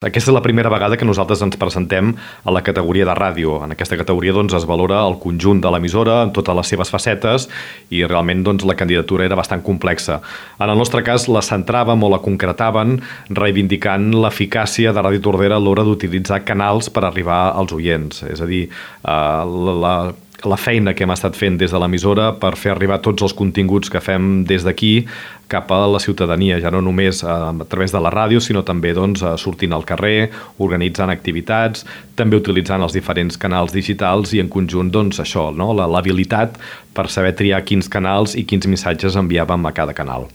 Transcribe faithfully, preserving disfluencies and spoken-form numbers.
Aquesta és la primera vegada que nosaltres ens presentem a la categoria de ràdio. En aquesta categoria doncs, es valora el conjunt de l'emissora en totes les seves facetes i realment doncs, la candidatura era bastant complexa. En el nostre cas la centràvem o la concretaven reivindicant l'eficàcia de Ràdio Tordera a l'hora d'utilitzar canals per arribar als oients. És a dir, la, la la feina que hem estat fent des de l'emissora per fer arribar tots els continguts que fem des d'aquí cap a la ciutadania, ja no només a, a través de la ràdio, sinó també doncs, sortint al carrer, organitzant activitats, també utilitzant els diferents canals digitals i en conjunt doncs, això, no? l'habilitat per saber triar quins canals i quins missatges enviàvem a cada canal.